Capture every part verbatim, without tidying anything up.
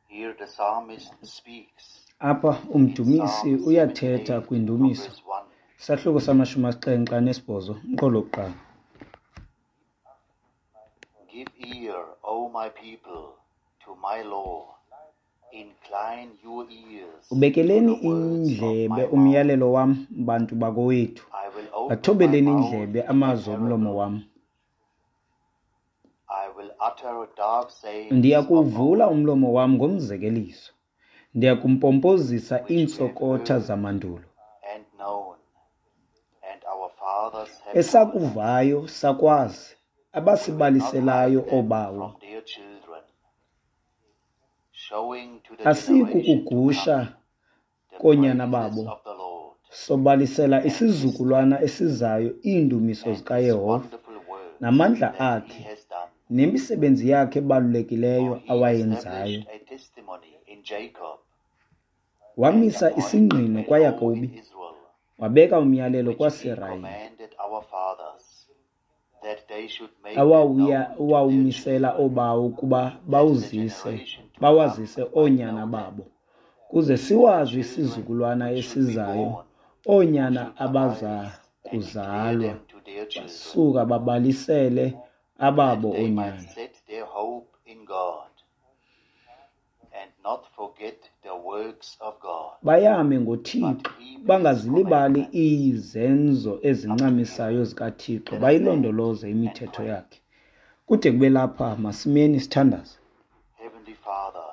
Here the psalmist speaks Apha in umdumisi Psalm uyathetha seventy-eight from kwindumiso. verse one. Isahluko samashumi asixhenxe anesibhozo, umqolo wokuqala. Give ear, O my people, to my law. Incline your ears to Ubekeleni the words of indlebe my mouth. umyalelo wam, bantu bakowethu. I will open my Bathobeleni mouth indlebe in a amazwi omlomo parable. wam. I will utter dark sayings of Ndiyakuwuvula old, umlomo wam ngomzekeliso. Ndiyakumpompozisa which we have iintsokotha heard zamandulo. and known, and our fathers have told us. Esakuvayo sakwazi, We will not abasibaliselayo hide them oobawo. from their children, showing to the Asiyi generation to kukugusha come the koonyana praises babo. of the Lord Sobalisela and his isizukulwana esizayo iindumiso and his zikaYehova wonderful works namandla that he akhe has done. nemisebenzi yakhe ebalulekileyo For he awayenzayo. established a testimony in Jacob and Wamisa appointed isingqino a law in kwaYakobi, Israel, wabeka umyalelo which he kwaSirayeli, commanded our fathers, that they should make them awawuya known to their owawumisela children, oobawo ukuba that the bawuzise generation to come bawazise might oonyana know them, babo, kuze even the siwazi children isizukulwana which should be esizayo, born, who oonyana should abaza arise and declare kuzalwa, them to their children, basuka babalisele ababo that they might oonyana. set their hope in God and not forget the works of God, Bayame but ngoThixo, keep his bangazilibali commandments. izenzo Up to here, ezincamisayo zikaThixo, let us stand bayilondoloze and imithetho pray. yakhe. Kude kube lapha, masimeni sithandaze. Heavenly Father,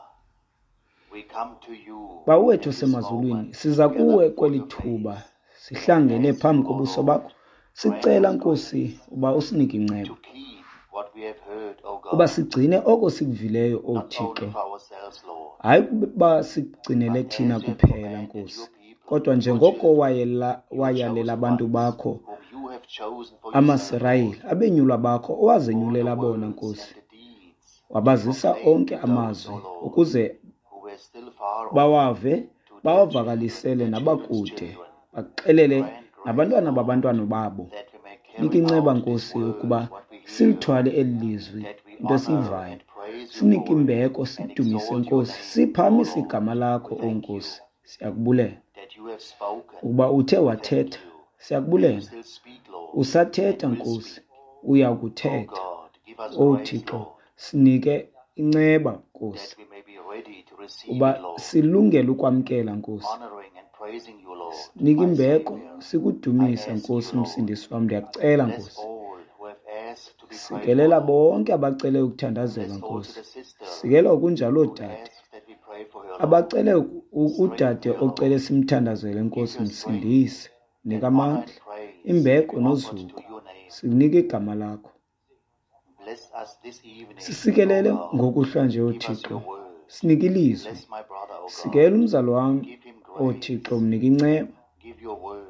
we come to you Bawo wethu at this osemazulwini, moment siza to gather kuwe before kweli your thuba, face and sihlangene ask phambi you, O kobuso Lord, bakho. grant Sicela us Nkosi grace uba usinike inceba, to keep what we have heard, O uba God, sigcine oko sikuvileyo, O not only Thixo. for ourselves, Lord, Hayi ukuba sikugcinele but thina as you have kuphela, commanded Nkosi, your people, kodwa your njengoko children, wayela your wayalela chosen abantu ones, bakho whom you have chosen for yourself, amaSirayeli, Lord, abenyulwa bakho all the owazenyulela bona, words Nkosi, and the deeds you wabazisa proclaimed onke to those, O amazwi Lord, ukuze who were still far off, bawave, to their children, bawavakalisele their children's nabakude, children. baxelele Grant grace, nabantwana Lord, babantwana babo. that we may Nika carry inceba, out this Nkosi, word, ukuba what we hear, silithwale eli lizwi, that we into honor esiyivayo. and praise you Sinike for it, imbeko, and sikudumise, exalt your Nkosi, name, O siphamise Lord. igama We lakho, O thank you Nkosi. Siyakubulela that you have spoken. ukuba uthe We thank wathetha. you that you Siyakubulela. still speak, Lord, and Usathetha, will Nkosi, speak. uya O kuthetha. God, give us O grace, Thixo, Lord, sinike inceba, Nkosi, that we may be ready to receive uba it, Lord, silungele ukwamkela, Nkosi. honoring and praising you, Lord, Nika my imbeko, Savior. I sikudumise, ask you, Nkosi, Lord, Msindisi wam. Ndiyakucela, bless Nkosi. all who have asked to be prayed for, Sikelela Lord. bonke abacele ukuthandazelwa, Bless also Nkosi. the sister Sikela ngokunjalo who oodade asked that we pray for her, Lord. abacele u- udade Strengthen her, Lord. ocele simthandazele, Give Nkosi, her strength msindise. Nika that honor amandla, and praise may imbeko be offered nozuko. to your name. Sikunike igama lakho. Bless us this evening, O Sisikelele God. ngokuhlwa nje, Give us oThixo. your word. Sinike ilizwi. Bless my brother, O God. Sikela umzali wam, Give him grace. oThixo, mnike inceba. Give your word.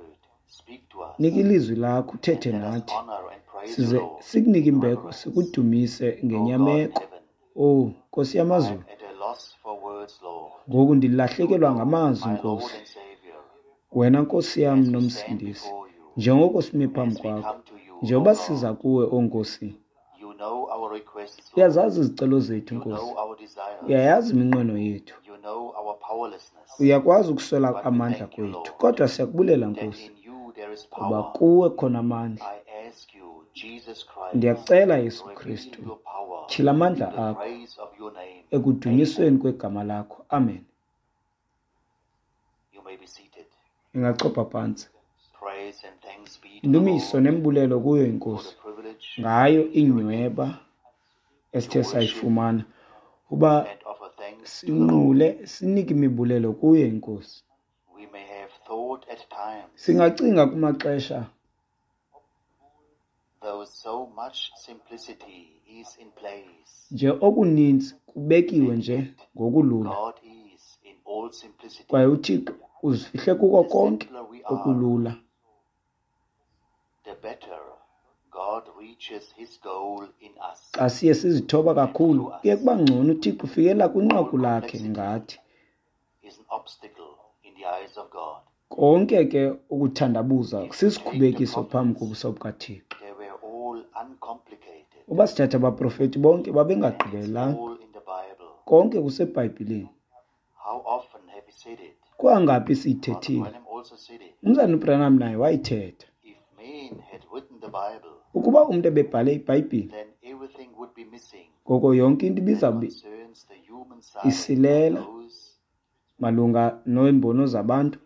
Speak to us. Nika ilizwi lakho, And uthethe let us nathi. honor and praise you, Size Lord, sikunike in imbeko, reverence. sikudumise O God in ngenyameko. heaven, Owu Nkosi I am yamazulu, at a loss for words, Lord. ngoku You ndilahlekelwa know, ngamazwi, my Lord Nkosi. and Savior, Wena Nkosi yam as we stand nomsindisi, before you, njengoko simi phambi as we kwakho, come to you, O njengoba siza God, kuwe, o Nkosi, you know our requests, Lord. uyazazi izicelo zethu, You Nkosi. know our desires. Uyayazi iminqweno yethu. You know our powerlessness. Uyakwazi ukuswela But we amandla thank you, kwethu, Lord, kodwa siyakubulela, that Nkosi, in you there is kuba power. kuwe khona amandla. I ask you, Jesus Christ, Ndiyakucela, Yesu reveal Kristu, your power tyhila to amandla the akho praise of your name. Amen. ekudunyisweni kwegama lakho. Amen. You may be seated. Ingachopha phantsi. Praise and thanks be to the Indumiso Lord nembulelo kuyo for iNkosi the privilege ngayo of hearing inyweba esithe to worship sayifumana uba and offer thanks to the Lord. sinqule sinike imibulelo kuyo iNkosi. We may have thought at times, Singacinga kumaxesha though so much simplicity is in place, nje okuninzi kubekiwe and nje yet ngokulula, God is in all simplicity. kwaye uThixo uzifihle kuko The konke simpler we are, okulula. the better God reaches his goal in us Xa siye sizithoba and kakhulu, through kuye us. kuba ngcono uThixo ufikela All kwinqaku lakhe complexity ngathi. is an obstacle in the eyes of God. Konke ke ukuthandabuza If we take the sisikhubekiso phambi prophets, kobuso bukaThixo. they were all uncomplicated, Uba sithatha abaprofeti bonke and it's babengagqibelelanga. all in the Bible. Konke kuseBhayibhileni. How often have we said it? Kwangaphi Brother siyithethile? Branham also said it. Umzalwana uBranham naye wayithetha. If man had written the Bible, Ukuba umntu ebebhale iBhayibhile, then everything would be missing ngoko yonke into that ibizawube concerns the human side of isilela those malunga neembono zabantu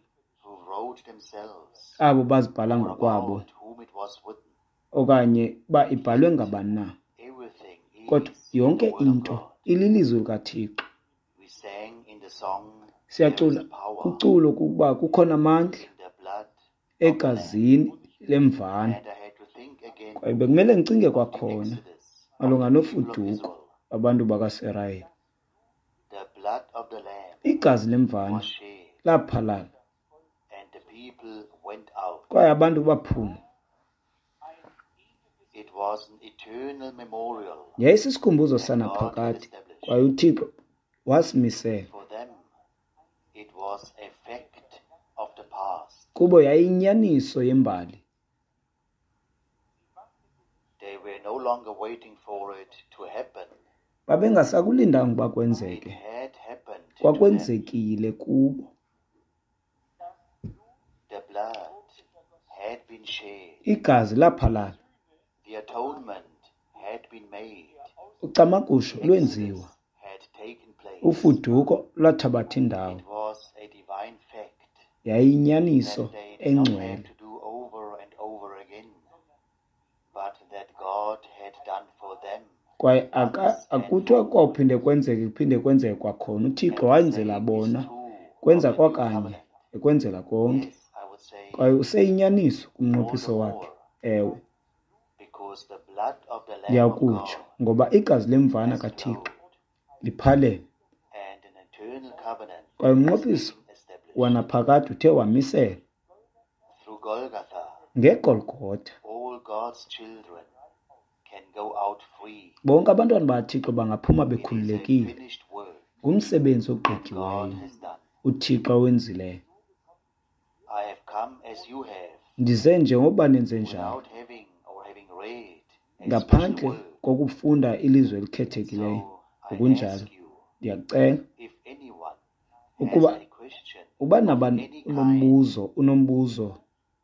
who wrote themselves abo bazibhala or ngokwabo about whom it was written. okanye uba ibhalwe ngabani na. Everything Kodwa is in the yonke Word of into God. ililizwi likaThixo. We sang in the song, There is Siyacula power kuculo kukuba kukhona amandla in the blood of the Lamb. egazini lemvana. And I had to think again Kwaye bekumele ndicinge of the kwakhona Exodus of malunga the people of nofuduko Israel. babantu bakaSirayeli. The blood of the Lamb Igazi lemvana was shed, laphalala and the people went out. kwaye abantu baphuma. It was an eternal memorial Yayisisikhumbuzo that God had sanaphakade established. kwaye uThixo wasimisela. For them, it was a fact of the past. Kubo yayiyinyaniso yembali. They were no longer waiting for it to happen. Babengasakulindanga uba It kwenzeke. had happened to them. Kwakwenzekile kubo. The blood had been shed. Igazi laphalala. The atonement had been made. Ucamagusho lwenziwa. Exodus had taken place. Ufuduko lwathabatha indawo. It was a divine fact Yayiyinyaniso that they did not have engcwele. to do over and over again, but that God had done for them Kwaye aka once and akuthiwa for all. kwawuphinde kwenzeke kuphinde kwenzeke kwakhona. UThixo And the wayenzela same is bona, true of kwenza the new kwakanye covenant. ekwenzela konke. Yes, I would say Kwaye useyinyaniso all the kumnqophiso wakhe. more Ewe, because the blood of the Lamb of ndiyakutsho God ngoba igazi lemvana has kaThixo flowed, liphalele and an eternal covenant kwaye has umnqophiso been established. wanaphakade uthe wamisela Through Golgotha, ngeGolgotha. all God's children can go out free. Bonke abantwana bakaThixo bangaphuma It is a bekhululekile. finished work Ngumsebenzi that God ogqityiweyo has done. uThixo awenzileyo. I have come as you have, Ndize njengoba nenze njalo, without having or having read a special ngaphandle word. kokufunda ilizwi elikhethekileyo. So I Ngokunjalo, ask you ndiyakucela if anyone has ukuba a question uba of nabani any kind, unombuzo unombuzo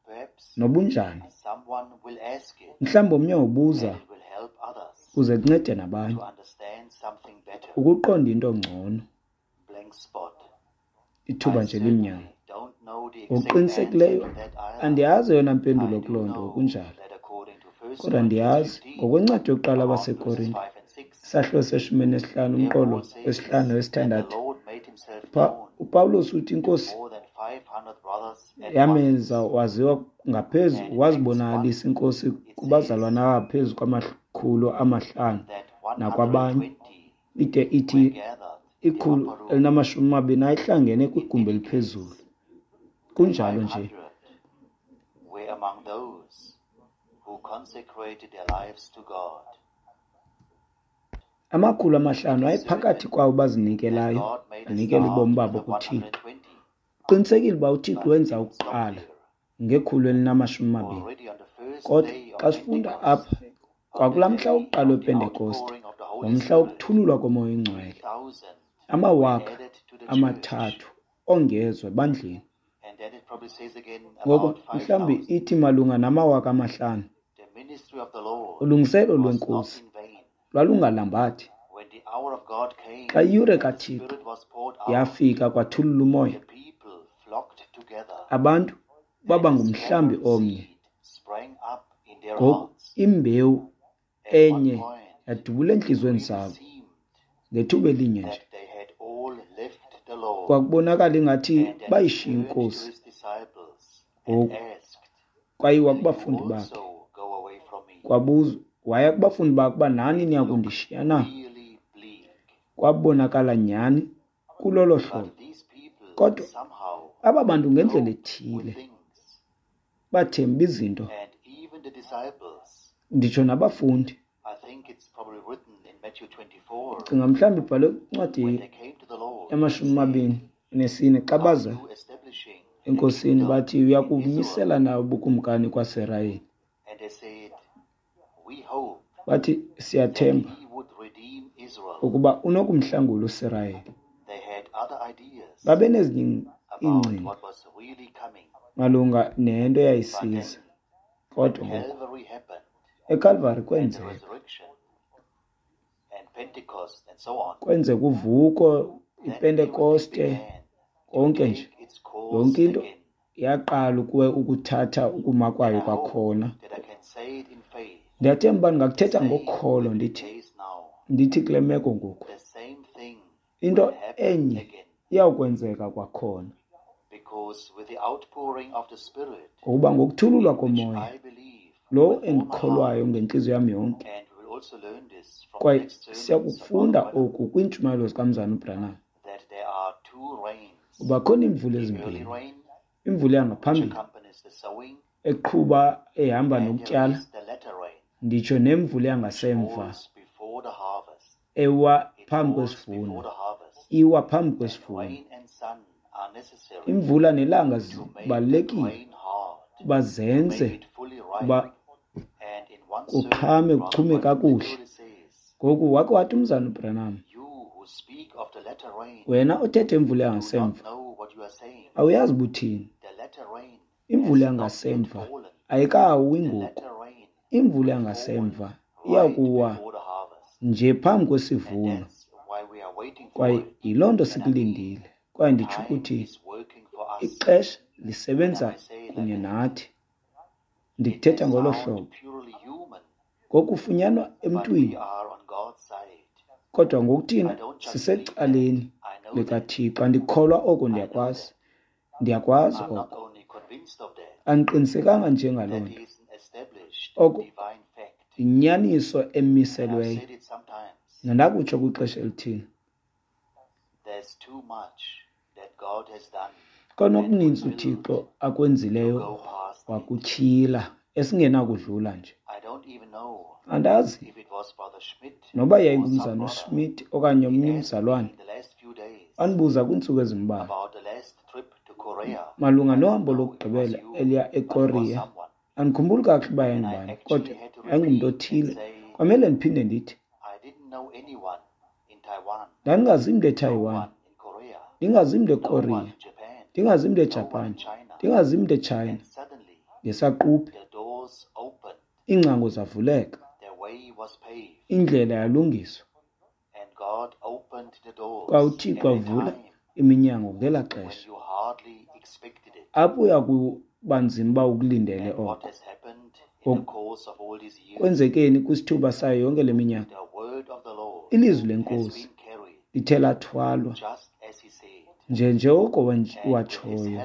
perhaps nobunjani, someone will ask it mhlawumbi omnye wobuza and it will help others kuze kuncede nabanye to understand something better. ukuqonda into ngcono. Blank spot. Ithuba I nje limnyama. certainly don't know the exact answer Ngokuqinisekileyo to that either. andiyazi eyona I mpendulo do kuloo nto know ngokunjalo. that according to First Kodwa Corinthians ndiyazi fifteen, ngokwencwadi yokuqala around verses abaseKorinte, five and six, isahluko seshumi nesihlanu there umqolo Paul says wesihlanu that the nowesithandathu, Lord made himself pha known uPawulos uthi to iNkosi more than five hundred brothers at yamenza once. waziwa ngaphezu And in Acts one, wazibonakalisa iNkosi it kubazalwana says abangaphezu kwamakhulu amahlanu that nakwabanye. one hundred twenty Ide were ithi gathered in the ikhulu upper room. elinamashumi amabini ayehlangene In kwigumbi any eliphezulu. case, the Kunjalo five nje hundred were among those who consecrated their lives to God. amakhulu It amahlanu is ayephakathi certain kwabo that bazinikelayo God made a banikela start ubomi with babo the kuThixo. one hundred twenty, Qinisekile uba uThixo but wenza it didn't stop ukuqala there. ngekhulu elinamashumi amabini. Already on the first Kodwa day of xa sifunda Pentecost, apha on the kwakulaa mhla day wokuqala of the wePentekoste, outpouring of the Holy ngomhla Spirit, wokuthululwa koMoya three oyiNgcwele, thousand were amawaka added to the church. amathathu ongezwa ebandleni. And then it probably says again Ngoko about five mhlawumbi thousand. ithi malunga namawaka amahlanu. The ministry of the Lord Ulungiselelo was not lweNkosi in vain. lwalungalambathi. When the hour of God came Xa iyure and the kaThixo Spirit was poured out, yafika kwathulula umoya, the people flocked together, abantu baba and a ngumhlambi scattered omnye. seed sprang up in their Ngoku hearts. imbewu At one enye point, yadubula it entliziyweni really zabo seemed ngethuba elinye nje. that they had all left the Lord Kwakubonakala ingathi and then he bayishiya turned to iNkosi. his disciples and Ngoku asked, kwayiwa Will you kubafundi bakhe. also go away from me? Kwabuzwa waya kubafundi bakhe uba nani It niya looked kundishiya na? really bleak. Kwabonakala nyhani kulolo hlobo. But these people Kodwa somehow aba bantu ngendlela coped with ethile things. bathemba izinto, And even the disciples, nditsho nabafundi. I think it's probably written in Matthew twenty-four, Cinga mhlawumbi ibhalwe when kwincwadi they came to the Lord and yamashumi said, amabini nesine xa Are baza you establishing the enkosini kingdom bathi uya in Israel? kumisela na ubukumkani kwaSirayeli. And they said, We hope Bathi that siyathemba he would redeem Israel. ukuba unokumhlangula uSirayeli. They had Babenezinye iingcinga malunga nento eyayisiza. Kodwa ngoku eKalvari kwenzeka kwenzeka uvuko, iPentekoste, konke nje, yonke into yaqala ukuthatha ukuma kwayo kwakhona. Ndiyathemba uba ndingakuthetha ngokholo ndithi ndithi kule meko ngoku into enye iyawukwenzeka kwakhona, ngokuba ngokuthululwa komoya lo endikholwayo ngentliziyo yam yonke, kwaye siyakufunda oku kwiintshumayelo zikaMzalwana uBranham, uba khona iimvula ezimbini, imvula yangaphambili eqhuba ehamba nokutyala, nditsho nemvula yangasemva ewa phambi kwesivuno, iwa phambi kwesivuno. Imvula nelanga zibalulekile uba zenze uba kuqhame kuchume kakuhle. Ngoku wake wathi uMzalwana uBranham, wena othetha imvula yangasemva awuyazi uba uthini. Imvula yangasemva ayikawi ngoku. Imvula yangasemva iyakuwa nje phambi kwesivuno, kwaye yiloo nto sikulindile. Kwaye nditsho ukuthi ixesha lisebenza kunye nathi. Ndikuthetha ngolo hlobo ngokufunyanwa emntwini, kodwa ngokuthina sisecaleni likaThixo. Andikholwa oko, ndiyakwazi, ndiyakwazi oko. Andiqinisekanga nje ngaloo nto. Oko yinyaniso emiselweyo. Nandakutsho kwixesha elithile, konokuninzi uThixo akwenzileyo wakutyhila esingenakudlula nje. Andazi noba yayingumzalwana uSmith okanye omnye umzalwane, wandibuza kwiintsuku ezimbalwa malunga nohambo lokugqibela eliya eKorea. Andikhumbuli kakuhle uba yayingubani, kodwa yayingumntu othile. Kwamele ndiphinde ndithi ndandingazi mntu eTaiwan, ndingazi mntu eKorea, ndingazi mntu eJapan, ndingazi mntu eChina. Ngesaquphe iingcango zavuleka, indlela yalungiswa, kwaye uThixo wavula iminyango ngelaa xesha apho uya kuba nzima uba ukulindele oko. Kwenzekeni kwisithuba sayo yonke le minyaka, ilizwi leNkosi lithe lathwalwa nje njengoko watshoyo,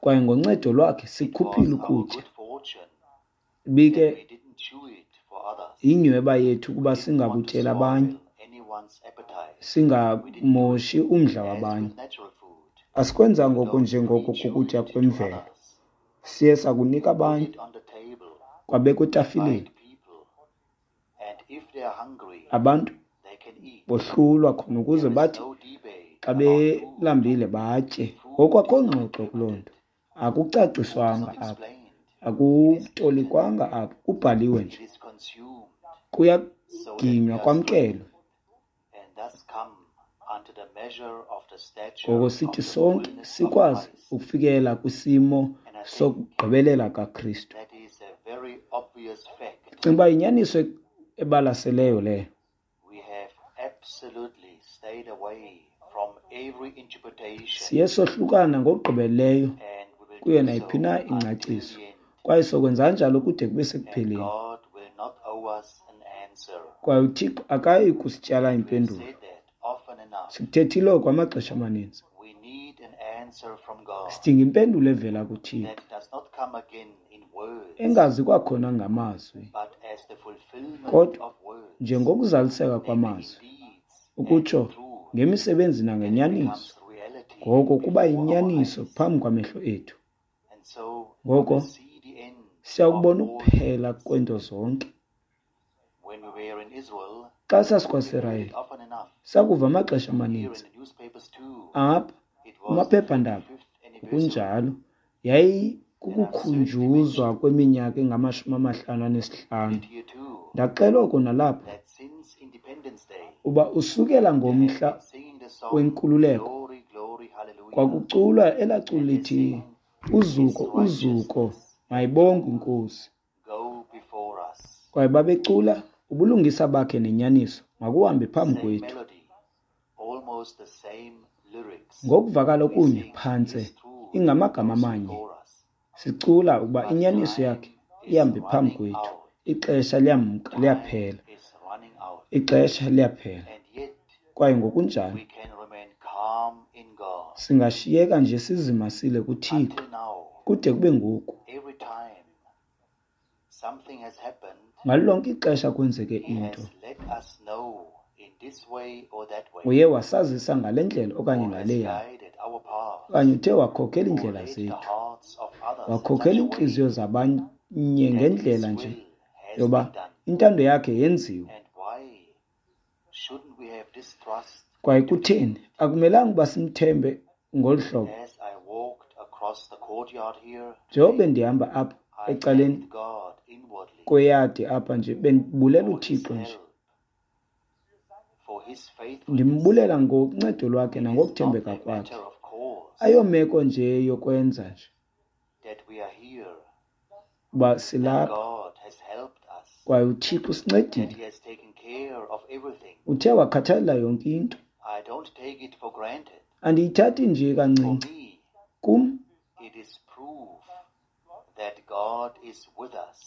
kwaye ngoncedo lwakhe sikhuphile ukutya. Ibike yinyweba yethu ukuba singakutyeli abanye, singamoshi umdla wabanye. Asikwenzanga oko njengoko kukutya kwemvelo, siye sakunika abanye, kwabekwa etafileni. Abantu bohlulwa khona ukuze bathi xa belambile batye. Ngoku akho ngxoxo kuloo nto, akucaciswanga apha, akutolikwanga apha, kubhaliwe nje, kuyaginywa kwamkelwe. Ngoko sithi sonke sikwazi ukufikela kwisimo sokugqibelela kaKristu. Ndicinga uba yinyaniso ebalaseleyo leyo. Siye sohlukana ngokugqibeleleyo kuyo nayiphi na ingcaciso, kwaye sokwenza njalo kude kube sekupheleni. Kwaye uThixo akayi kusityala impendulo. Sikuthethile oko amaxesha amaninzi. Sidinga impendulo evela kuThixo, engazi kwakhona ngamazwi, kodwa njengokuzaliseka kwamazwi, ukutsho ngemisebenzi nangenyaniso. Ngoko kuba yinyaniso phambi kwamehlo ethu. Ngoko siyakubona ukuphela kweento zonke. Xa sasikwaSirayeli, sakuva amaxesha amaninzi apha kumaphephandaba ngokunjalo yayikukukhunjuzwa kweminyaka engamashumi amahlanu anesihlanu. Ndaxela oko nalapha, Uba usukela ngomhla wenkululeko kwakuculwa elaa culo lithi uzuko uzuko mayibongwe inkosi. Kwaye babecula ubulungisa bakhe nenyaniso makuhambe phambi kwethu. Ngokuvakala okunye phantse ingamagama amanye sicula ukuba inyaniso yakhe ihambe phambi kwethu. Ixesha liyamka liyaphela, ixesha liyaphela. Kwaye ngokunjalo singashiyeka nje sizimasile kuThixo kude kube ngoku. Ngalo lonke ixesha kwenzeke into, uye wasazisa ngale ndlela okanye ngaleya, okanye uthe wakhokela iindlela zethu, wakhokela iintliziyo zabanye ngendlela nje yoba intando yakhe yenziwe. Kwaye kutheni akumelanga uba simthembe ngolu hlobo? Njengoba bendihamba apha ecaleni kweyadi apha nje, bendibulela uThixo nje, ndimbulela ngoncedo lwakhe nangokuthembeka kwakhe. Ayomeko nje yokwenza nje uba silapha, kwaye uThixo usincedile, uthe wakhathalela yonke into. Andiyithathi nje kancinci. Kum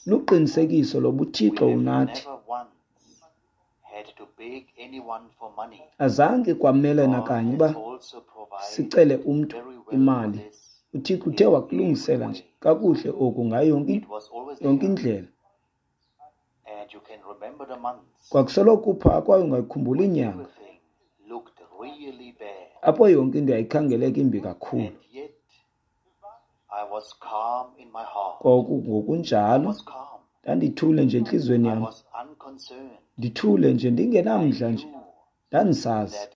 luqinisekiso loba uThixo unathi. Azange kwamele nakanye uba sicele umntu imali. UThixo uthe wakulungisela nje kakuhle oku ngayo yonke yonke indlela. Kwakusoloko kupha kwaye ungayikhumbula inyanga apho yonke into yayikhangeleka imbi kakhulu. Kwaku ngokunjalo ndandithule nje entliziyweni yam, ndithule nje ndingenamdla nje, ndandisazi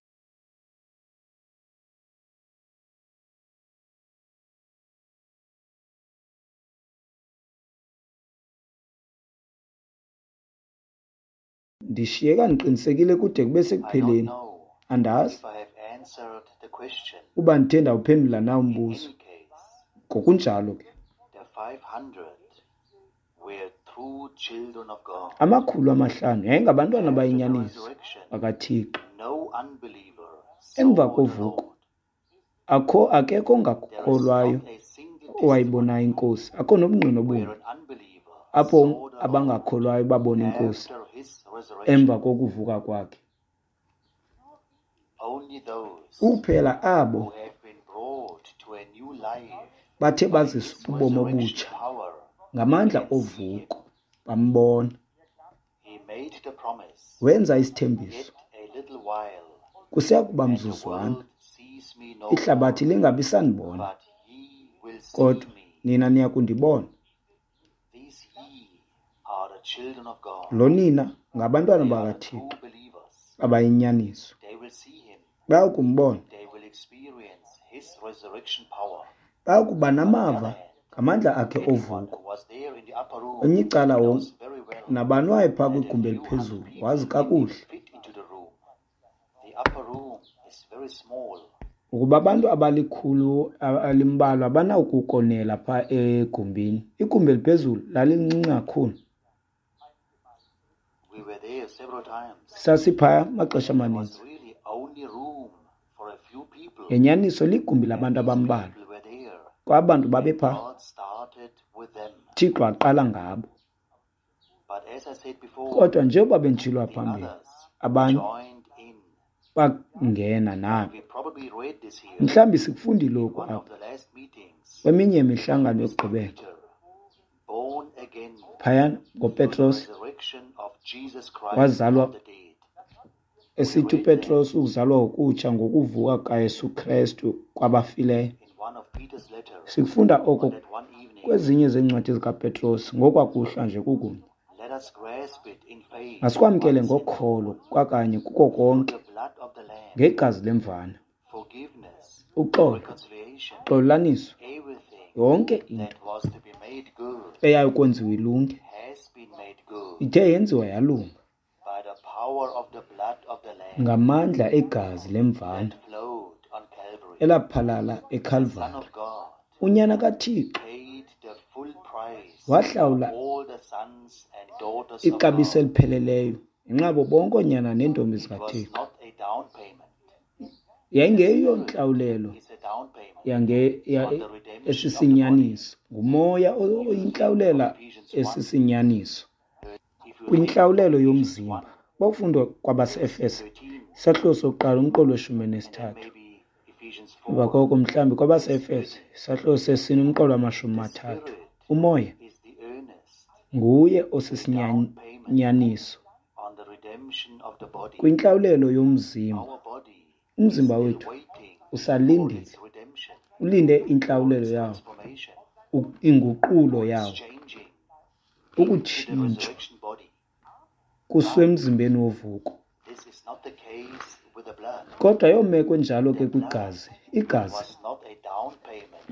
ndishiyeka ndiqinisekile kude kube sekupheleni. Andazi uba ndithe ndawuphendula na umbuzo. Ngokunjalo ke amakhulu amahlanu yayingabantwana abayinyaniso bakaThixo. Emva kovuko akho akekho ongakholwayo owayibonayo inkosi, akho nobungqina obunye apho abangakholwayo babona inkosi emva kokuvuka kwakhe. Kuphela abo bathe baziswa ubomi obutsha ngamandla ovuko bambona. Wenza isithembiso, kusiya kuba mzuzwana ihlabathi lingabi sandibona, kodwa nina niya kundibona. Lo nina ngabantwana bakaThixo abayinyaniso, bayakumbona, bayakuba namava ngamandla akhe ovuko. Kwelinye icala nabani wayephaa kwigumbi eliphezulu wazi kakuhle ukuba abantu abalikhulu alimbalwa abanawukukonela phaa egumbini. Igumbi eliphezulu lalincinci kakhulu. Sasiphaya amaxesha amaninzi. Ngenyaniso ligumbi labantu abambalwa, kwaye abantu babephaa. Thixo aqala ngabo. Kodwa njengoba benditshilo phambili, abanye bangena nabo. Mhlawumbi sikufundile oku apha kweminye imihlangano yokugqibela. Phayana ngoPetros wazalwa, esithi uPetros ukuzalwa ngokutsha ngokuvuka kaYesu Krestu kwabafileyo. Sikufunda oko kwezinye zeencwadi zikaPetros ngokwakuhlwa nje kukunye. Masikwamkele ngokholo kwakanye kuko konke ngegazi lemvana, uxolo, uxolelaniso, yonke into eyayikwenziwa ilunge ithe yenziwa yalunga Ngamandla egazi lemvana elaphalala eKalvari, uNyana kaThixo wahlawula ixabiso elipheleleyo ngenxa yabo bonke oonyana neentombi zikaThixo. Yayingeyo ntlawulelo esisinyaniso, nguMoya oyintlawulela esisinyaniso kwintlawulelo yomzimba. Bawufunda kwabaseEfese isahluko sokuqala umqolo weshumi elinesithathu. Emva koko mhlawumbi kwabaseEfese isahluko sesine umqolo wamashumi amathathu. UMoya nguye osisinyaniso kwintlawulelo yomzimba. Umzimba wethu usalindile, ulinde intlawulelo yawo, inguqulo yawo, ukutshintshwa kusiwe emzimbeni wovuko. Kodwa ayomeko enjalo ke kwigazi. Igazi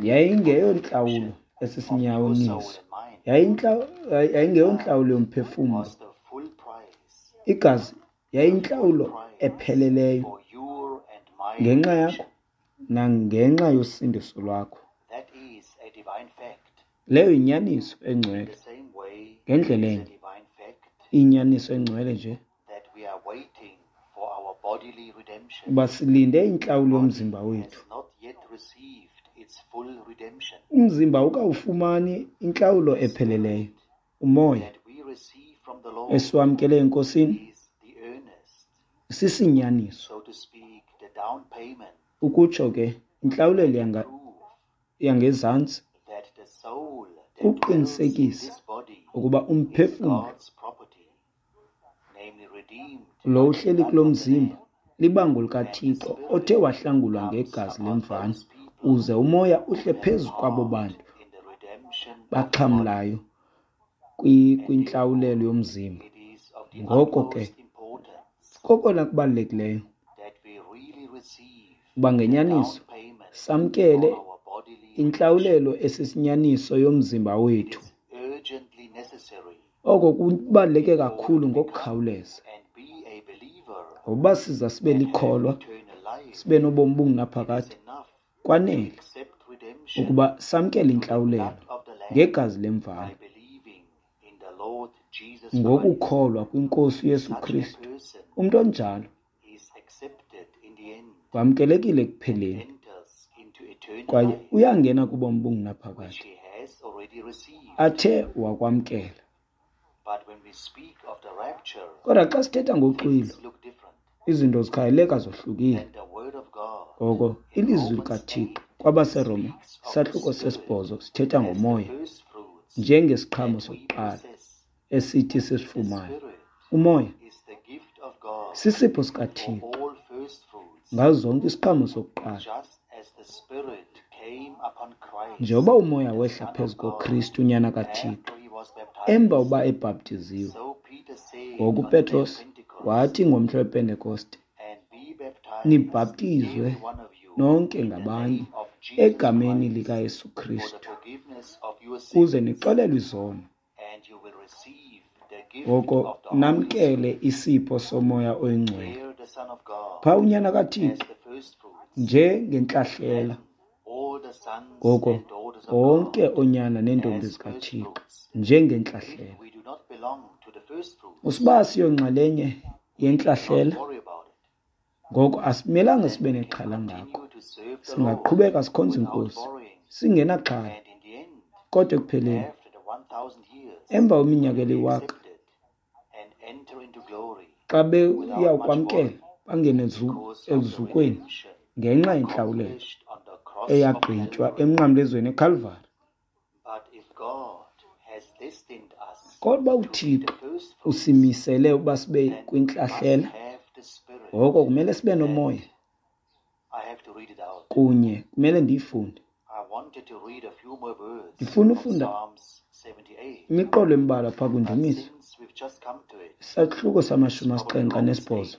yayingeyontlawulo esisinyaniso, yayingeyontlawulo yomphefumlo. Igazi yayintlawulo epheleleyo ngenxa yakho nangenxa yosindiso lwakho. Leyo yinyaniso engcwele. Ngendlela enye, inyaniso engcwele nje uba silinde intlawulo yomzimba wethu. Umzimba awukawufumani intlawulo epheleleyo. Umoya esiwamkele eNkosini sisinyaniso, ukutsho ke intlawulelo yangezantsi, kuqinisekisa ukuba umphefumlo lo uhleli kulo mzimba libango likaThixo othe wahlangulwa ngegazi lemvana, uze umoya uhle phezu kwabo bantu baxhamlayo kwintlawulelo yomzimba. Ngoko ke kokona kubalulekileyo uba ngenyaniso samkele intlawulelo esisinyaniso yomzimba wethu. Oko kubaluleke kakhulu ngokukhawuleza, ngokuba siza sibe likholwa, sibe nobomi obungunaphakade, kwanele ukuba samkele intlawulelo ngegazi lemvana ngokukholwa kwiNkosi uYesu Kristu. Umntu onjalo wamkelekile ekupheleni kwaye uyangena kubomi obungunaphakade athe wakwamkela. Kodwa xa sithetha ngoxwilo, izinto zikhangeleka zohlukile. Ngoko ilizwi likaThixo kwabaseRoma isahluko sesibhozo sithetha ngomoya njengesiqhamo sokuqala esithi sisifumane. Umoya sisipho sikaThixo ngazo zonke isiqhamo sokuqala. Njengoba umoya wehla phezu koKristu uNyana kaThixo emva uba ebhaptiziwe, ngoku uPetros wathi ngomhla wePentekoste, nibhaptizwe nonke ngabanye egameni likaYesu Kristu ukuze nixolelwe izono, ngoko namkele isipho soMoya oyiNgcwele. Phaa uNyana kaThixo njengentlahlela, ngoko bonke oonyana neentombi zikaThixo njengentlahlela. Usiba siyonxalenye yentlahlela, ngoko asimelanga sibe nexhala ngako. Singaqhubeka sikhonza iNkosi singenaxhala, kodwa ekupheleni emva kweminyaka eliwaka, xa beyawukwamkela bangene eluzukweni ngenxa yentlawulelo eyagqitywa emnqamlezweni eKalvari. Kodwa uThixo usimisele uba sibe kwintlahlela, ngoko kumele sibe nomoya kunye. Kumele ndiyifunde. Ndifuna ufunda imiqolo embalwa phaa kwiNdumiso, isahluko samashumi asixhenxe anesibhozo.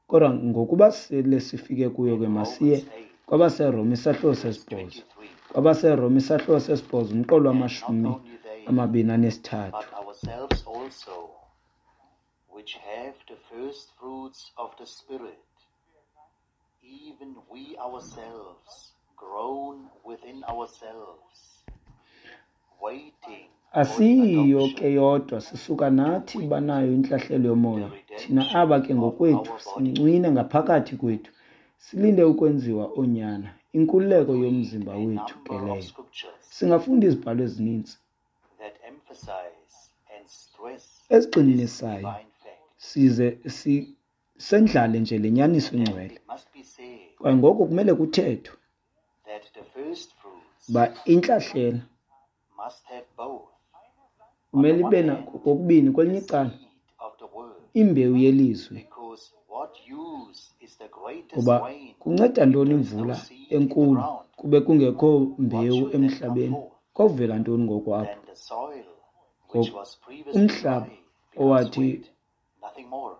Kodwa ngokuba sele sifike kuyo ke, masiye kwabaseRoma isahluko sesibhozo. KwabaseRoma isahluko sesibhozo umqolo wamashumi amabini anesithathu. which have the first fruits of the Spirit, even we ourselves groan within ourselves, waiting for the Asiyiyo ke adoption, yodwa, sisuka nathi banayo intlahlela yomoya. the Thina redemption aba ke of ngokwethu our body. sincwina ngaphakathi kwethu, silinde ukwenziwa oonyana, We inkululeko could read yomzimba a wethu ke number of leyo. scriptures Singafunda izibhalo ezininzi that emphasize and stress this ezigxininisayo divine fact. size si sendlale nje le nyaniso And ingcwele. it must be said Kwaye ngoko kumele kuthethwe that the first fruits uba intlahlela must have both. On kumele the ibe one nako hand, kokubini, the kwelinye icala seed of the word, imbewu yelizwi. because what use is the greatest Kuba rain kunceda if ntoni there is no imvula seed in the enkulu ground? kube kungekho What mbewu should then come emhlabeni? forth? Kovela ntoni ngoku apho? Then the soil, which Ngoku was previously umhlaba dry, becomes owathi wet, nothing more.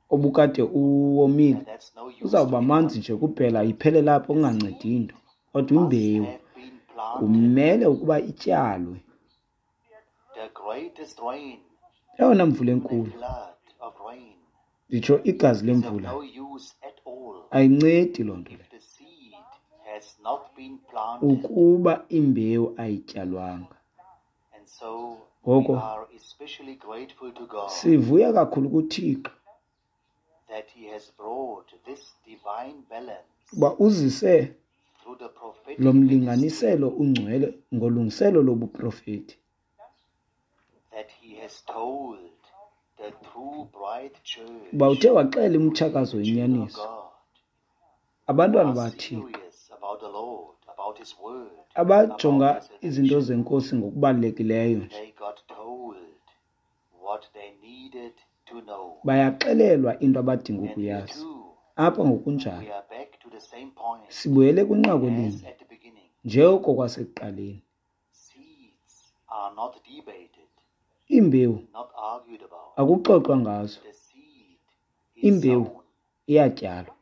obukade uwomile And that's no use to uzawuba manzi anyone. nje kuphela, iphele lapho The kungancedi seed nto. Kodwa must imbewu have been planted. kumele ukuba ityalwe. The greatest rain, Eyona mvula even a enkulu, flood of rain, nditsho igazi is of lemvula, no use at all ayincedi loo nto if leyo the seed has not been planted. ukuba imbewu ayityalwanga. And so we Ngoko are especially grateful to God sivuya kakhulu kuThixo that He has brought this divine balance uba uzise through the prophetic lo ministry, mlinganiselo ungcwele ngolungiselelo lobuprofeti, that He has told the true bride church, uba uthe waxela umtshakazo the children of wenyaniso, God, who abantwana are baThixo serious about the Lord, about His word, about abajonga His izinto election, zenkosi ngokubalulekileyo nje they got told what they needed to know. bayaxelelwa into abadinga And here ukuyazi. too, Apha we ngokunjalo are back to the same point sibuyele kwinqaku as elinye at the beginning. njengoko kwasekuqaleni. Seeds are not debated, Iimbewu not argued about. akuxoxwa ngazo, The seed is imbewu sown. iyatyalwa.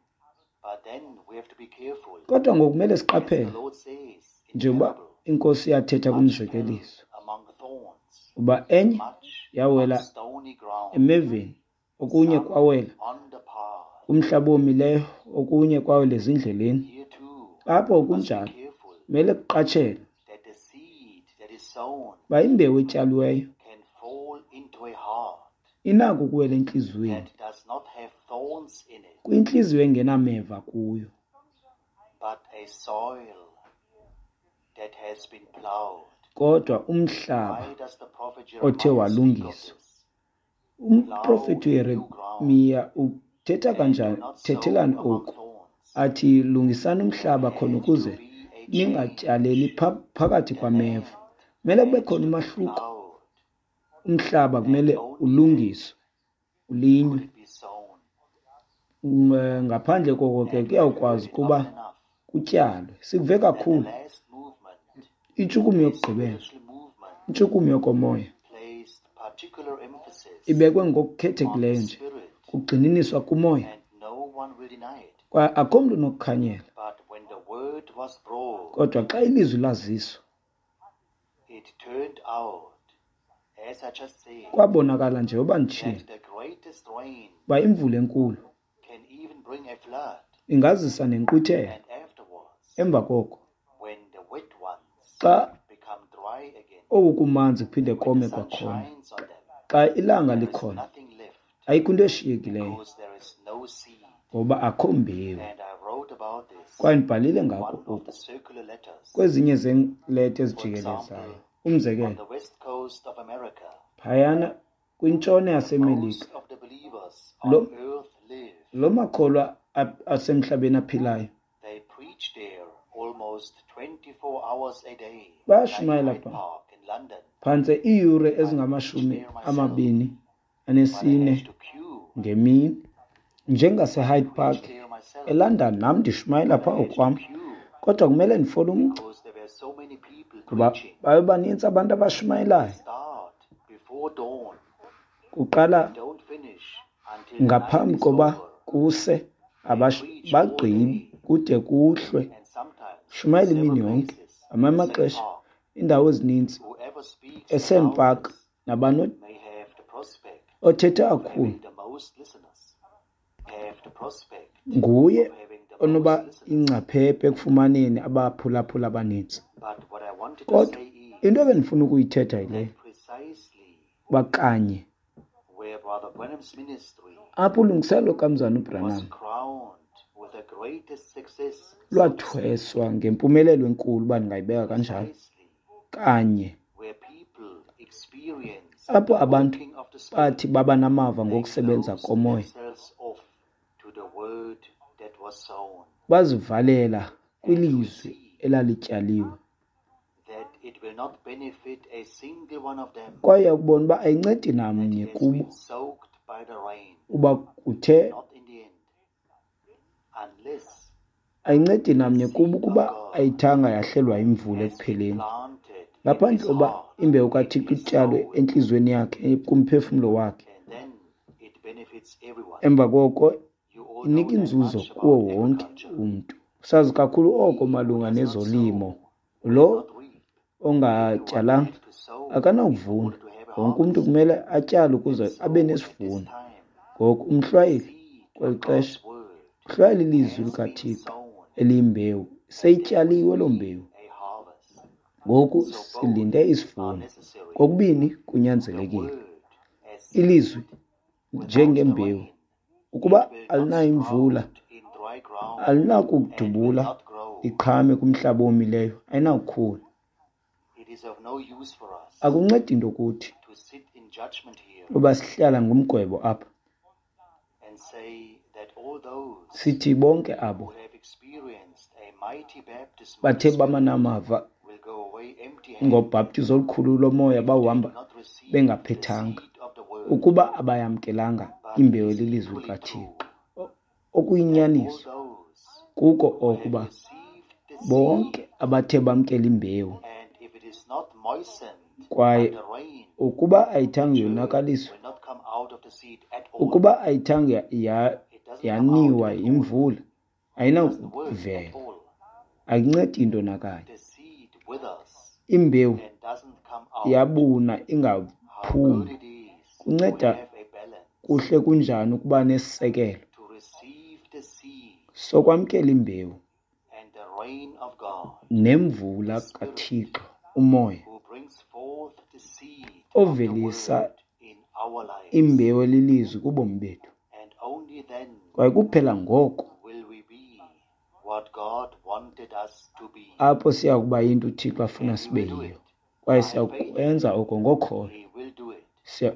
But then we have to be careful. Kodwa ngoku kumele As the siqaphele, Lord says in the njengoba parable, inkosi yathetha much fell kumzekeliso among thorns, uba enye much on yawela stony ground, emeveni, okunye some kwawela on the path. kumhlaba owomileyo, okunye kwawela ezindleleni. Here too, Apho we must be kunjalo careful kumele kuqatshelwe that the seed that is sown uba imbewu etyaliweyo can fall into a heart inako ukuwela entliziyweni, that does not have thorns in it, kwintliziyo engenameva kuyo, but a soil that has been plowed. kodwa umhlaba Why does the prophet othe Jeremiah speak of walungiswa. this? Umprofeti Plow a new ground uYeremiya uthetha and do kanjani, not sow thethelani among oku, thorns. athi lungisani There umhlaba khona had to ukuze be a change. ningatyaleli pha- phakathi The kwameva. land Kumele kube had khona to be umahluko. plowed, Umhlaba and kumele only then ulungiswe, could ulinywe. it be sown. Um, eh, Ngaphandle koko ke And we have heard kuyawukwazi it ukuba often enough kutyalwe. Sikuve that the kakhulu last movement, intshukumo a yokugqibela, spiritual movement, intshukumo yokomoya placed particular emphasis ibekwe on the ngokukhethekileyo nje, spirit, kugxininiswa kumoya, and no one will deny it. kwaye akho mntu unokukhanyela. But when the word was brought, Kodwa xa ilizwi laziswa, it turned out, as I just said, kwabonakala njengoba nditshilo that the greatest rain uba imvula enkulu can even bring a flood. ingazisa nenkqwithela. And afterwards, Emva koko, when the wet ones xa become dry again, oku kumanzi kuphinde when the kome sun kwakhona, shines on them, xa ilanga there is likhona, nothing left ayikho into eshiyekileyo because there is no seed. ngoba akho mbewu. And I wrote about this Kwaye ndibhalile in ngako one of oku the circular letters. kwezinye zeeleta For ezijikelezayo. example, on Umzekelo, the west coast of America, phayana kwintshona yaseMelika, most of the believers on lo, earth live. lo makholwa a- asemhlabeni aphilayo They preach there almost twenty-four hours a day, like bayashumayela Hyde pha Park in London. phantse iiyure I preach ezingamashumi there myself, amabini but I anesine had to queue. ngemini, njengaseHyde I Park preached there myself, eLondon. Nam ndishumayela but pha I had to okwam, queue kodwa kumele ndifole umgca because there were so many people ngoba preaching. babe banintsi abantu They abashumayelayo. start before dawn Kuqala and don't finish until the night ngaphambi is koba over. kuse, They abash- preach all bagqibi day kude kuhlwe. and sometimes in Shumayela several imini yonke, places ngamanye in the same amaxesha park. iindawo ezininzi Whoever speaks the eSand Park loudest nabano may have the prospect Othetha kakhulu nguye onoba ingcaphephe ekufumaneni abaphulaphula abanintsi. Kodwa into ebendifuna ukuyithetha yile, bakanye apho ulungiselelo kaMzalwana uBranham lwathweswa ngempumelelo enkulu, uba ndingayibeka kanjalo, kanye apho abantu bathi baba namava ngokusebenza komoya, bazivalela kwilizwi elalityaliwe. Kwaye ukubona uba ayincedi namnye kubo uba kuthe ayincedi namnye kubo ukuba ayithanga yahlelwa imvula ekupheleni, ngaphandle uba imbewu kaThixo ityalwe entliziyweni yakhe, kumphefumlo wakhe. Emva koko inika inzuzo kuwo wonke umntu. Sazi kakhulu oko malunga nezolimo. Lo ongatyalanga akanakuvuna. Wonke umntu kumele atyale ukuze abe nesivuno. Ngoku umhlwayeli kweli xesha uhlwayela ilizwi likaThixo eliyimbewu. Seyityaliwe loo mbewu. Ngoku silinde isivuno. Kokubini kunyanzelekile. Ilizwi njengembewu, ukuba alinayo imvula, alinakudubula iqhame kumhlaba owomileyo, ayinakukhula. Akuncedi into kuthi uba sihlala ngumgwebo apha, sithi bonke abo bathe bamanamava ngobhaptizo olukhulu lomoya bawuhamba bengaphethanga, ukuba abayamkelanga imbewu elilizwi likaThixo. Okuyinyaniso kuko okuba bonke abathe bamkela imbewu, kwaye ukuba ayithanga yonakaliswa, ukuba ayithanga yaniwa yimvula, ayinakuvela, ayincedi into nakanye. Imbewu yabuna ingaphumi. Kunceda kuhle kunjani ukuba nesisekelo sokwamkela imbewu nemvula kaThixo, umoya ovelisa imbewu elilizwi kubomi bethu. Kwaye kuphela ngoko apho siya kuba yinto uThixo afuna sibe yiyo. Kwaye siyakwenza oko ngokholo. Siya,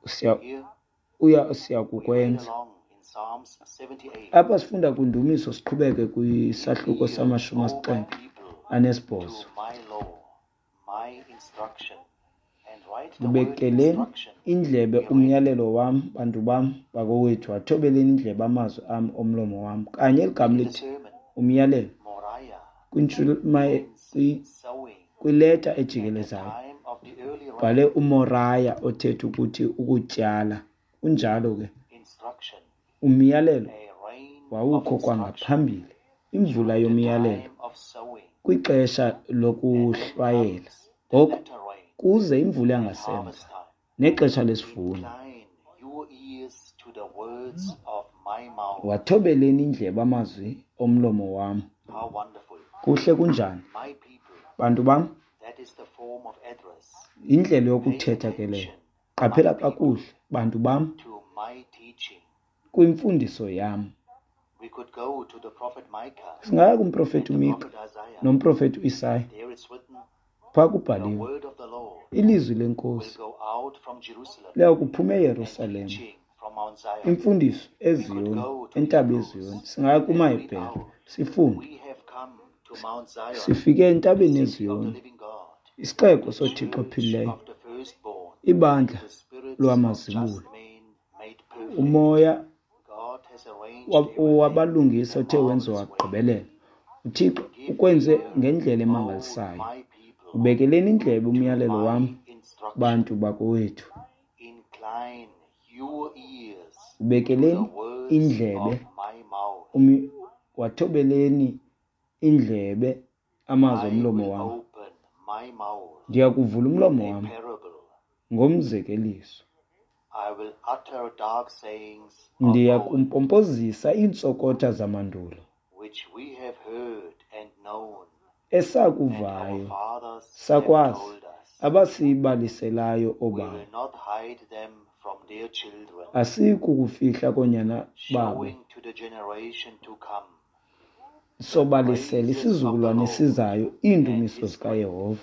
siya, uya siyakukwenza. Apha sifunda kwindumiso, siqhubeke kwisahluko samashumi asixhenxe anesibhozo. Ubekeleni indlebe umyalelo wam, bantu bam bakowethu, athobeleni indlebe amazwi am omlomo wam. Kanye eli gama lithi umyalelo kwileta ejikelezayo bhale uMoraya othetha ukuthi ukutyala. Kunjalo ke umyalelo wawukho kwangaphambili, imvula yomyalelo kwixesha lokuhlwayela. Ngoku kuze imvula yangasemva nexesha lesivuno. Wathobeleni indlebe amazwi omlomo wam. Kuhle kunjani, bantu bam? Indlela yokuthetha ke leyo. Qaphela kakuhle, bantu bam, kwimfundiso yam. Singaya kumprofeti uMika nomprofeti uIsaya. Phaa kubhaliwe, ilizwi leNkosi liya kuphuma eYerusalem, imfundiso eZiyoni, entaba yeZiyoni. Singaya kumaHebhere sifunde. Sifike entabeni yeZiyoni, isixeko soThixo ophilileyo, ibandla lwamazibulo, umoya wabalungisa othe wenziwa wagqibelela. uThixo ukwenze ngendlela emangalisayo. Ubekeleni indlebe umyalelo wam, bantu bakowethu. Ubekeleni indlebe, wathobeleni indlebe amazwi omlomo wam. Ndiya kuvula umlomo wam ngomzekeliso. I will utter dark sayings of Ndiya old, kumpompozisa iintsokotha zamandulo which we have heard and known, and our esakuvayo fathers have sakwazi told us. abasibaliselayo We oobawo. will not hide them from their children, Asiyi kukufihla koonyana babo, showing to the generation to come sobalisela praises of the isizukulwane Lord esizayo and iindumiso his zikaYehova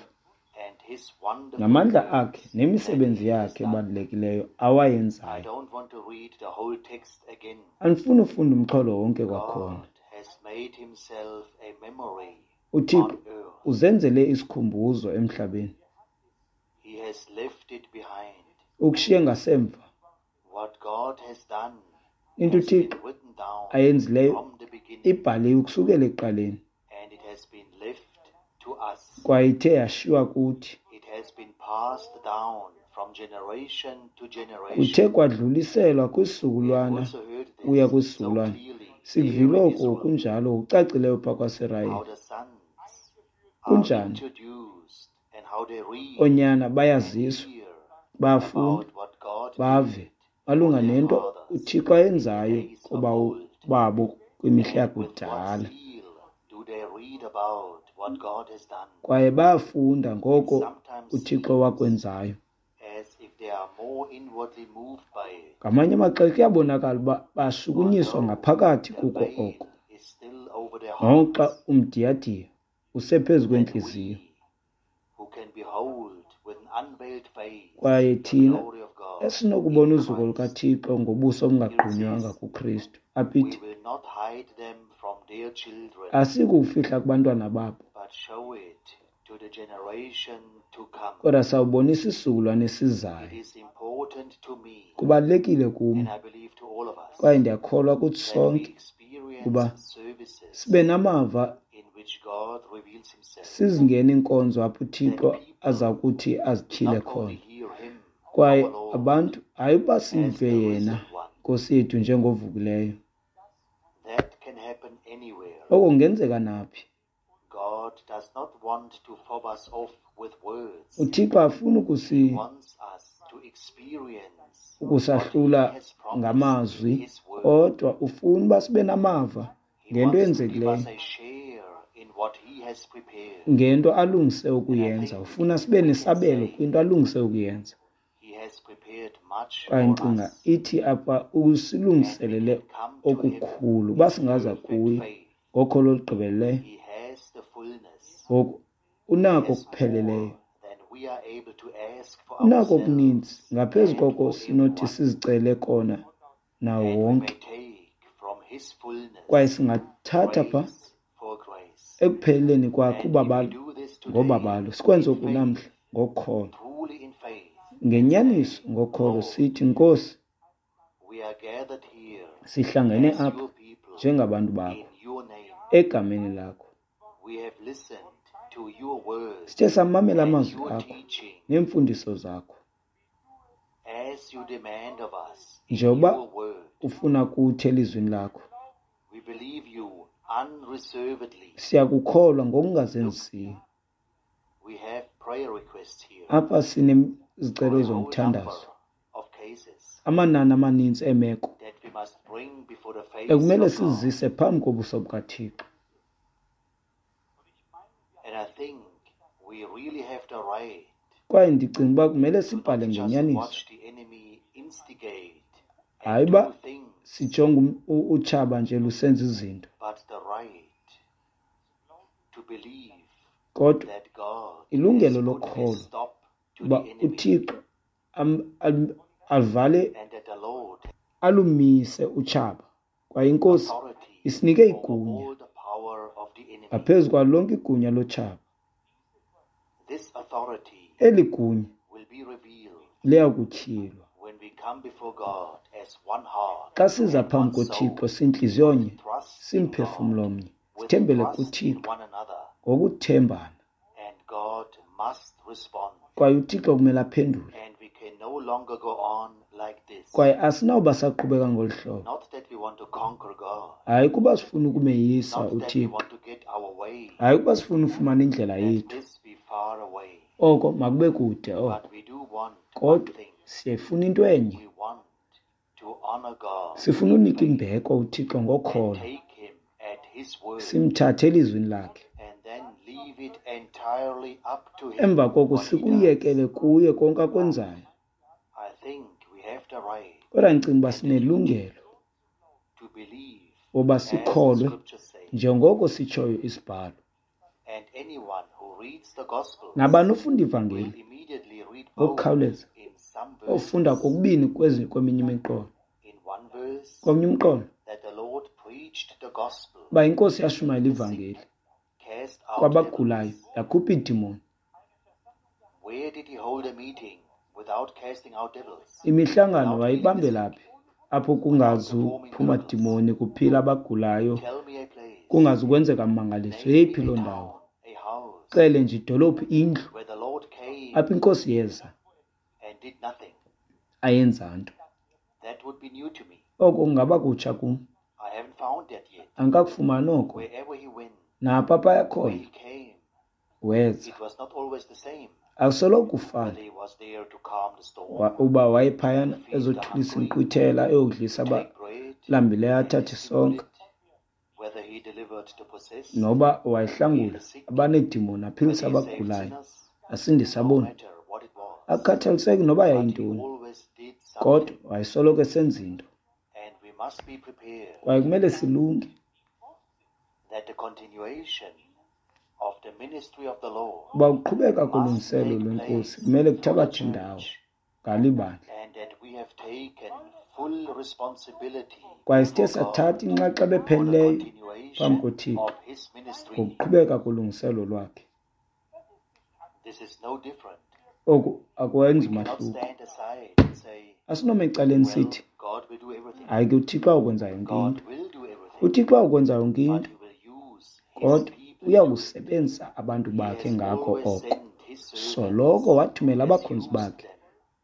and his wonderful namandla works akhe that nemisebenzi he has yakhe done. ebalulekileyo I awayenzayo. don't want to read the whole text again. Andifuni ufunda umxholo wonke kwakhona. God has made himself a memory UThixo on earth. uzenzele isikhumbuzo emhlabeni, He has left it behind. ukushiye ngasemva. What God has done Into has been uThixo written down ayenzileyo from the beginning, ibhaliwe ukusukela ekuqaleni, and it has been left to us. kwaye ithe yashiywa kuthi. It has been passed down from generation to Kuthe generation. kwadluliselwa We have kwisizukulwana also heard kuya this so kwisizukulwana. clearly there Sikuvile in oko Israel, kunjalo ngokucacileyo phaa how kwaSirayeli. the sons are Kunjani introduced and how they read oonyana and bayaziswa, hear bayafunda, about what God bave did for malunga their nento fathers uThixo in the ayenzayo days of koobawo old. babo kwimihla And with what yakudala. zeal do they read about what God has done? Kwaye bayafunda It ngoko sometimes uThixo seems wakwenzayo. as if they are more inwardly moved by it, Ngamanye amaxesha kuyabonakala uba bashukunyiswa although ngaphakathi the kuko veil oko, is still over their noxa hearts, umdiyadiya usephezu that kwentliziyo. we who can behold with an unveiled face Kwaye the thina glory of God esinokubona in uzuko Christ. lukaThixo ngobuso Here it obungagqunywanga says, kuKristu, apha we ithi will not hide them from their children, asikufihla kubantwana babo, but show it to the generation to come. kodwa sawubonisa isizukulwane It esizayo. is important to me, Kubalulekile kum and I believe to all of us, kwaye ndiyakholwa kuthi that we sonke experience uba services sibe namava, in which God reveals himself, sizingene iinkonzo apho that uThixo people aza kuthi azityhile not only khona. hear him, Kwaye our Lord, abantu hayi uba as sive the yena risen one. Nkosi yethu njengovukileyo. That can happen anywhere. Oko kungenzeka naphi. God does not want to fob us off with words. UThixo afuni He ukusi wants us to experience what he ukusahlula has promised in ngamazwi, his word. kodwa ufuna uba sibe namava He ngento wants to give eyenzekileyo, us a share in what he has prepared. ngento alungise And I ukuyenza. think Ufuna sibe we can nesabelo say kwinto alungise ukuyenza. he has prepared much Kwaye for ndicinga us, ithi apha and we usilungiselele can come to him okukhulu uba in singaza perfect kuye faith. ngokholo olugqibeleleyo. He has the fullness. Ngoku He unako has okupheleleyo, more than we are able to ask for unako okuninzi ourselves ngaphezu and koko for sinothi everyone. sizicele kona nawo And we may wonke. take from his Kwaye fullness singathatha pha grace for grace. ekupheleleni kwakhe And if we ubabalo do this today ngobabalo, sikwenze in oku namhla faith, ngokholo, truly in faith, and ngenyaniso say, ngokholo, Lord, sithi Nkosi, we are gathered here sihlangene as apha your people njengabantu bakho in your name. egameni lakho. We have listened to your word Sithe samamela and amazwi your akho teaching neemfundiso zakho, as you demand of us in njengoba your word. ufuna kuthi elizwini lakho. We believe you unreservedly. Siyakukholwa Look, ngokungazenzisiyo. we have prayer requests here Apha for sinezicelo a whole zomthandazo, number of cases amanani amaninzi eemeko that we must bring before the face ekumele of God. sizise phambi kobuso bukaThixo. And I think we really have the right Kwaye ndicinga uba kumele to sibhale not just ngenyaniso, watch the enemy instigate and hayi do uba things, sijonge um- u- utshaba nje lusenza izinto, but the right to believe kodwa that God has ilungelo put a lokholwa stop to uba the enemy uThixo am- am- avale and that the Lord alumise utshaba, kwaye iNkosi authority isinike over igunya all the power of the enemy. ngaphezu kwalo lonke igunya lotshaba. This authority Eli gunya will be revealed liya kutyhilwa when we come before God as one heart xa siza and phambi one koThixo soul, sintliziyonye, with trust in God, simphefumlo mnye, with sithembele trust in kuThixo one another, ngokuthembana. and God must respond. Kwaye uThixo kumele aphendule. And we can no longer go on like this. Kwaye asinawuba saqhubeka ngolu hlobo. Not that we want to conquer God, Hayi kuba sifuna ukumeyisa not that we uThixo, want to get our way, hayi kuba sifuna ufumana indlela let yethu. this be far away. Oko makube kude oko. But we do want one Kodwa thing. Siyayifuna into enye. We want to honor God Sifuna in unika faith imbeko uThixo and ngokholo, take Him at His word simthathe elizwini lakhe. and then leave it entirely up to Him Emva koko what He does. sikuyekele kuye konke akwenzayo. I think we have the right Kodwa ndicinga uba and the duty sinelungelo to believe uba as the sikholwe scriptures say. njengoko sitshoyo isibhalo. And anyone who reads the Gospels Nabani ufunda will ivangeli immediately read both ngokukhawuleza in some ofunda verses. kokubini kwezi kweminye imiqolo. In one verse, Komnye umqolo that the Lord preached the gospel uba inkosi yashumayela to the sick, ivangeli cast out kwabagulayo, devils. yakhupha iidimoni. Where did he hold a meeting without casting out devils, Imihlangano without healing the wayibambela sick, phi apho without performing kungazuphuma miracles? dimoni kuphila abagulayo, Tell me a place, kungazukwenzeka mmangaliso? name me Yeyiphi a loo ndawo? town, a house Xele nje idolophu, indlu where the Lord came apho inkosi yeza and did nothing. ayenza nto. That would be new to me. Oko kungaba kutsha kum. I haven't found that yet. Andikakufumani oko. Wherever he went, Napho apha where yakhona he came, weza. it was not always the same. Akusoloko kufana Whether he was there to calm the storm, Wa- uba wayephayana to feed the ezothulisa hungry, inkqwithela, eyokudlisa to take bread abalambileyo, and athathe distribute isonka, it, whether he delivered the possessed, noba healed wayehlangula the sick, abaneedimoni, aphilise whether he saved abagulayo, sinners, asindise no aboni. matter what it was. Akukhathaliseki noba But he yayintoni, always did kodwa something, wayesoloko esenza into. and we must be prepared Kwaye kumele silunge that the continuation of the ministry of the Lord uba ukuqhubeka must kolungiselelo take lwenkosi place kumele through the kuthabathe indawo church, ngalo ibandla. and that we have taken full responsibility Kwaye sithe before God sathatha inxaxheba for the epheleleyo phambi continuation koThixo of His ministry. ngokuqhubeka kolungiselelo lwakhe. This is no different. Oku akwenzi We cannot mahluko. stand aside and say, Asinoma ecaleni well, sithi God will do everything. hayi ke uThixo awukwenza yonke God into. will do everything, uThixo awukwenza yonke but into, He will use His kodwa people to do it. uyakusebenzisa abantu He bakhe has ngakho always oko. sent His servants, Soloko wathumela has abakhonzi used bakhe them,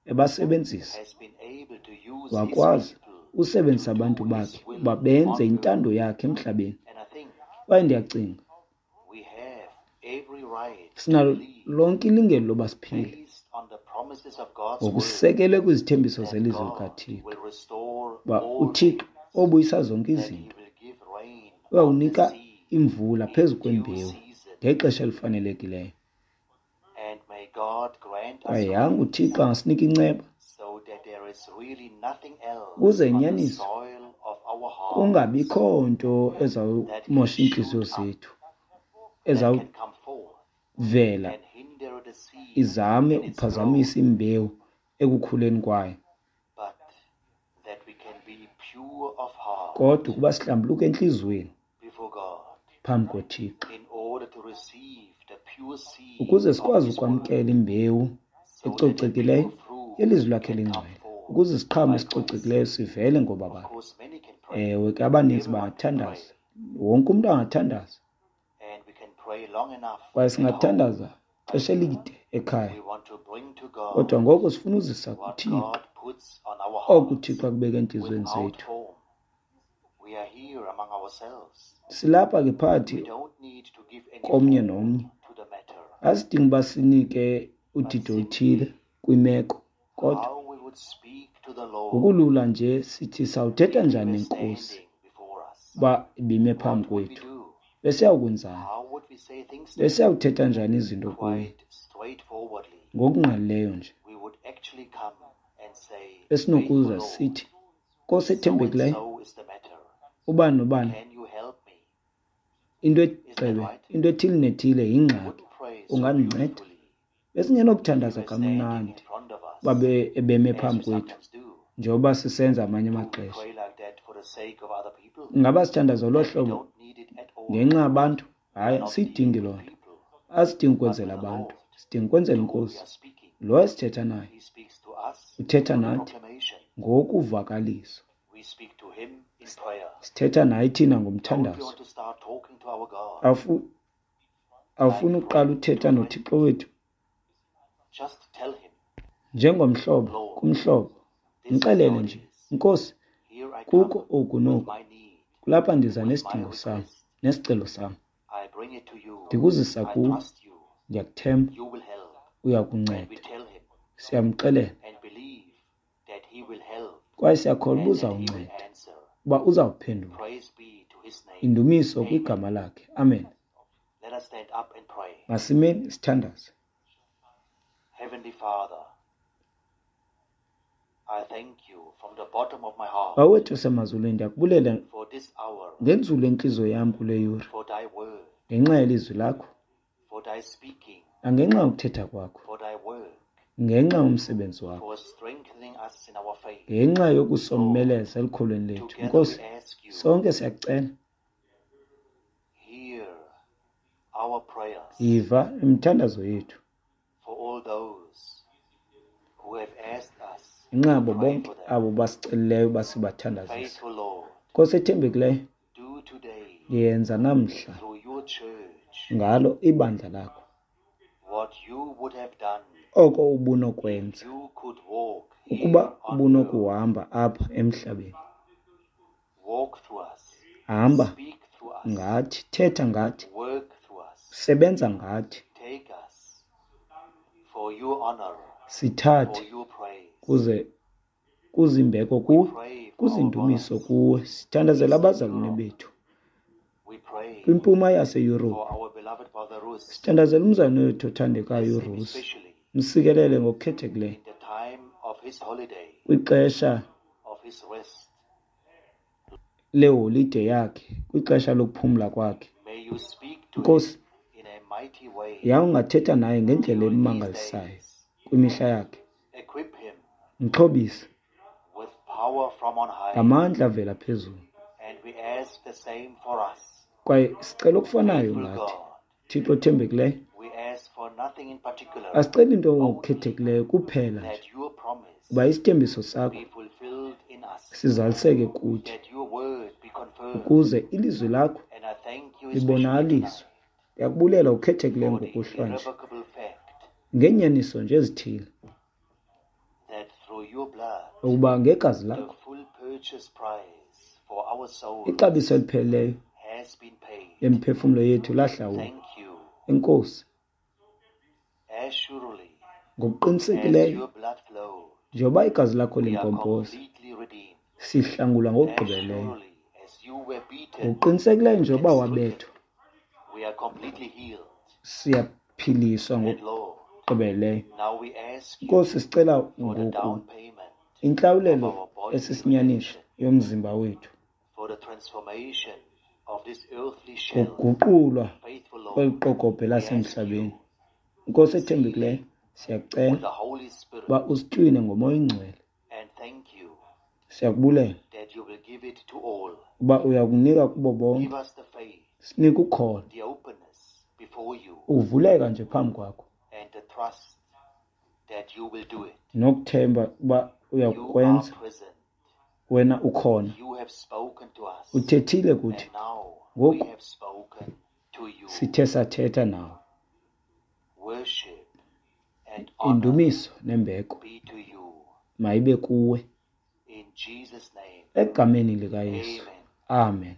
ebasebenzisa. has been able to use His Wakwazi people to usebenzisa abantu do His bakhe will uba benze on earth. intando yakhe emhlabeni. And I think Kwaye ndiyacinga we have every right to sinalo believe, lonke ilungelo loba siphile based on the promises of God's word, ngokusekelwe kwizithembiso that zelizwi God likaThixo will restore uba all uThixo things, obuyisa zonke that He izinto will give rain on the uyawunika seed imvula in phezu due kwembewu season. ngexesha elifanelekileyo. And may God grant us Kwaye yanga grace uThixo angasinika inceba so that there is really nothing else ukuze on the inyaniso soil of our hearts kungabikho nto that can ezawumosha iintliziyo shoot up, zethu, that can come forth ezawuvela and hinder the seed izame in its growth, uphazamisa imbewu ekukhuleni kwayo, but that we can be pure of heart kodwa ukuba sihlambuluke entliziyweni before God phambi koThixo in order to receive the pure seed ukuze of sikwazi His word, ukwamkela imbewu so that a pure ecocekileyo fruit yelizwi lakhe can come elingcwele, forth ukuze isiqhamo by grace. esicocekileyo sivele Of ngobabalo. course, many can pray. Ewe ke abaninzi Everyone can pray. bangathandaza, wonke umntu angathandaza, And we can pray long enough kwaye at home. singathandaza But xesha here, elide ekhaya, we want to bring to God kodwa ngoku sifuna uzisa what kuThixo God puts on our oko hearts uThixo akubeka entliziyweni without zethu. form. We are here among ourselves. Silapha ke We phakathi don't need to give any komnye form nomnye, to the matter, asidingi uba sinike but udidi oluthile simply kwimeko, kodwa how we would speak to the Lord ngokulula nje sithi sawuthetha if He njani were nenkosi standing before us. uba ibime phambi What would we kwethu, do? besiyawukwenzani? How would we say things to Him? Besiyawuthetha njani izinto kuye? Quite straightforwardly, Ngokungqalileyo nje we would actually come and say, Faithful besinokuza Lord, sithi, Nkosi so and ethembekileyo, so is the matter. ubani nobani, Can you help me? into Is that egxebe, right? into ethile nethile We yingxaki, wouldn't pray so ungandinceda? beautifully if Besingenokuthandaza He were standing in kamnandi front of uba us, be- ebeme as phambi we kwethu, sometimes do. njengoba sisenza amanye Do we amaxesha. pray like that for the sake of other people? Ingaba sithandaza ngolo Then we hlobo don't need it at all. ngenxa yabantu? We Hayi, are not asiyidingi dealing loo with nto. people, Asidingi but ukwenzela with the abantu, Lord sidinga ukwenzela to whom we inkosi. are speaking. Lo esithetha naye He speaks to us uthetha through the nathi proclamation. ngokuvakaliswa. We speak to Him in prayer. Sithetha naye thina Don't we ngomthandazo. want to start talking to our God Awufu- Awufuni like uqala friend uthetha to friend? noThixo wethu Just tell Him, njengomhlobo Lord, kumhlobo, this is mxelele how it nje, is. Nkosi, Here I kukho come oku with noku, my need, kulapha ndiza with my nesidingo sam request. nesicelo sam, I bring it to you. ndikuzisa I kuwe, trust you. ndiyakuthemba, You will help. uya And we kunceda. tell Him Siyamxelela and believe Kwaye siyakholwa uba uzawunceda, uba uzawuphendula. Indumiso kwigama lakhe. Amen. Masimeni sithandaze. Bawethu osemazulwini, ndiyakubulela ngenzulu entliziyo yam kule yure, ngenxa yelizwi lakho, nangenxa yokuthetha kwakho, ngenxa yomsebenzi wakho, ngenxa yokusomeleza elukholweni lethu. Nkosi, sonke siyakucela, yiva imithandazo yethu ngenxa yabo bonke abo basicelileyo basibathandazisa. Nkosi ethembekileyo, yenza namhla ngalo ibandla lakho oko ubunokwenza ukuba ubunokuhamba apha emhlabeni. Hamba ngathi, thetha ngathi, sebenza ngathi, sithathe kuze kuzimbeko kuwe, kuzindumiso kuwe. Sithandazela abazalwane bethu kwimpuma yaseYurophu. Sithandazela umzalwane wethu othandekayo uRusi, msikelele ngokukhethekileyo kwixesha leholide yakhe, kwixesha lokuphumla kwakhe. Nkosi, yawungathetha naye ngendlela emangalisayo kwimihla yakhe. Mxhobise ngamandla avela phezulu. Kwaye sicela okufanayo ngathi, Thixo othembekileyo, asiceli into ngokukhethekileyo kuphela nje uba isithembiso sakho sizaliseke kuthi, ukuze ilizwi lakho libonakaliswe. Ndiyakubulela ukhethekileyo ngokuhlwa nje ngeenyaniso nje ezithile, ukuba ngegazi lakho ixabiso elipheleleyo lemphefumlo yethu lahlawulwa. Enkosi, ngokuqinisekileyo njengoba igazi lakho limpompoza, sihlangulwa ngokugqibeleleyo. Ngokuqinisekileyo njengoba wabethwa, siyaphiliswa ngokugqibeleleyo. Nkosi, sicela ngoku intlawulelo esisinyaniso yomzimba wethu, ngokuguqulwa kweli qokobhe lasemhlabeni. Nkosi ethembekileyo, siyakucela uba usitywine ngoMoya oyiNgcwele. Siyakubulela uba uyakunika kubo bonke. Sinike ukholo, uvuleka nje phambi kwakho, nokuthemba uba uyakukwenza. Wena ukhona, uthethile kuthi, ngoku sithe sathetha nawe. Indumiso nembeko mayibe kuwe, egameni likaYesu. Amen.